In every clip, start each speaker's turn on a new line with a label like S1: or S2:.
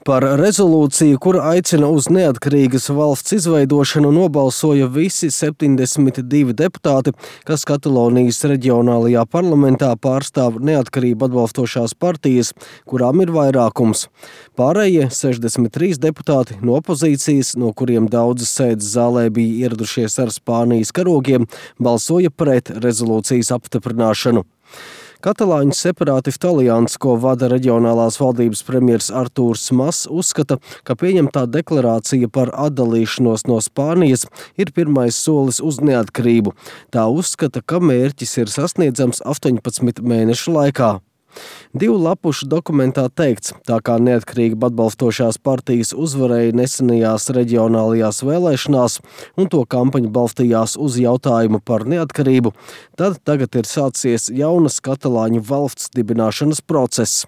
S1: Par rezolūciju, kur aicina uz neatkarīgas valsts izveidošanu, nobalsoja visi 72 deputāti, kas Katalonijas reģionālajā parlamentā pārstāv neatkarību atbalstošās partijas, kurām ir vairākums. Pārējie 63 deputāti no opozīcijas, no kuriem daudzas sēdes zālē bija ieradušies ar Spānijas karogiem, balsoja pret rezolūcijas apstiprināšanu. Katalāņu separātistu alianse, ko vada reģionālās valdības premjers Artūrs Mas, uzskata, ka pieņemtā deklarācija par atdalīšanos no Spānijas ir pirmais solis uz neatkarību. Tā uzskata, ka mērķis ir sasniedzams 18 mēnešu laikā. 2 lapušu dokumentā teikts, tā kā neatkarība atbalstošās partijas uzvarēja nesenajās reģionālajās vēlēšanās un to kampaņa balstījās uz jautājumu par neatkarību, tad tagad ir sācies jaunas katalāņu valsts dibināšanas process.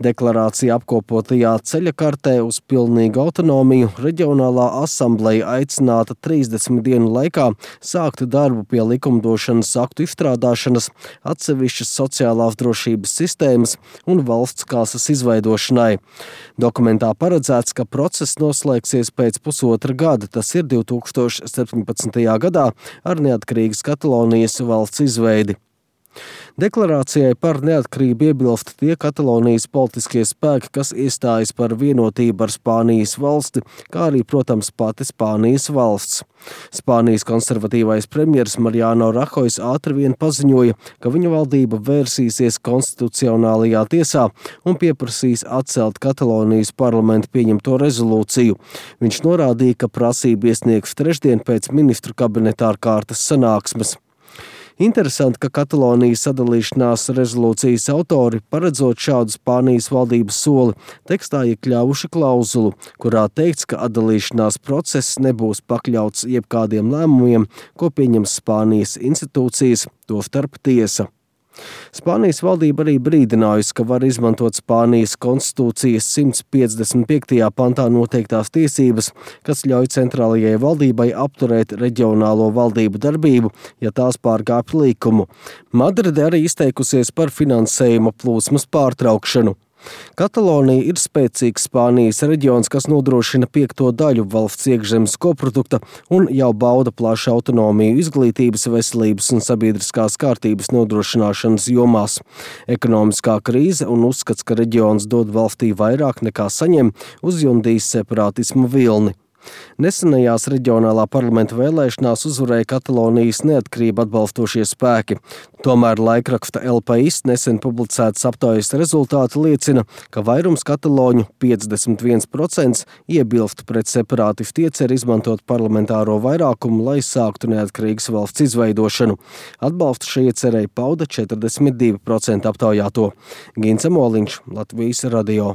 S1: Deklarācija apkopotajā ceļa kartē uz pilnīgu autonomiju reģionālā asambleja aicināta 30 dienu laikā sākt darbu pie likumdošanas aktu izstrādāšanas, atsevišķas sociālās drošības sistēmas un valsts kāsas izveidošanai. Dokumentā paredzēts, ka process noslēgsies pēc pusotra gada, tas ir 2017. gadā ar neatkarīgas Katalonijas valsts izveidi. Deklarācijai par neatkarību iebilst tie Katalonijas politiskie spēki, kas iestājas par vienotību ar Spānijas valsti, kā arī, protams, pati Spānijas valsts. Spānijas konservatīvais premjers Mariano Rahojs ātri vien paziņoja, ka viņa valdība vērsīsies konstitucionālajā tiesā un pieprasīs atcelt Katalonijas parlamenta pieņemto rezolūciju. Viņš norādīja, ka prasību iesniegs trešdien pēc ministru kabineta ārkārtas sanāksmes. Interesanti, ka Katalonijas sadalīšanās rezolūcijas autori, paredzot šādu Spānijas valdības soli, tekstā iekļāvuši klauzulu, kurā teikts, ka atdalīšanās process nebūs pakļauts jebkādiem lēmumiem, ko pieņems Spānijas institūcijas, tostarp tiesa. Spānijas valdība arī brīdinājusi, ka var izmantot Spānijas konstitūcijas 155. pantā noteiktās tiesības, kas ļauj centrālajai valdībai apturēt reģionālo valdību darbību, ja tās pārkāpj likumu. Madride arī izteikusies par finansējuma plūsmas pārtraukšanu. Katalonija ir spēcīgs Spānijas reģions, kas nodrošina 5. daļu valsts iekšzemes koprodukta un jau bauda plašu autonomiju izglītības, veselības un sabiedriskās kārtības nodrošināšanas jomās. Ekonomiskā krīze un uzskats, ka reģions dod valstī vairāk nekā saņem, uzjundīs separātismu vilni. Nesenajās reģionālā parlamenta vēlēšanās uzvarēja Katalonijas neatkarību atbalstošie spēki. Tomēr laikraksta El País nesen publicētas aptaujas rezultāti liecina, ka vairums kataloņu 51% iebilst pret separātistu ieceri izmantot parlamentāro vairākumu, lai sāktu neatkarīgas valsts izveidošanu. Atbalstu šai iecerei pauda 42% aptaujāto. Gints Moliņš, Latvijas radio.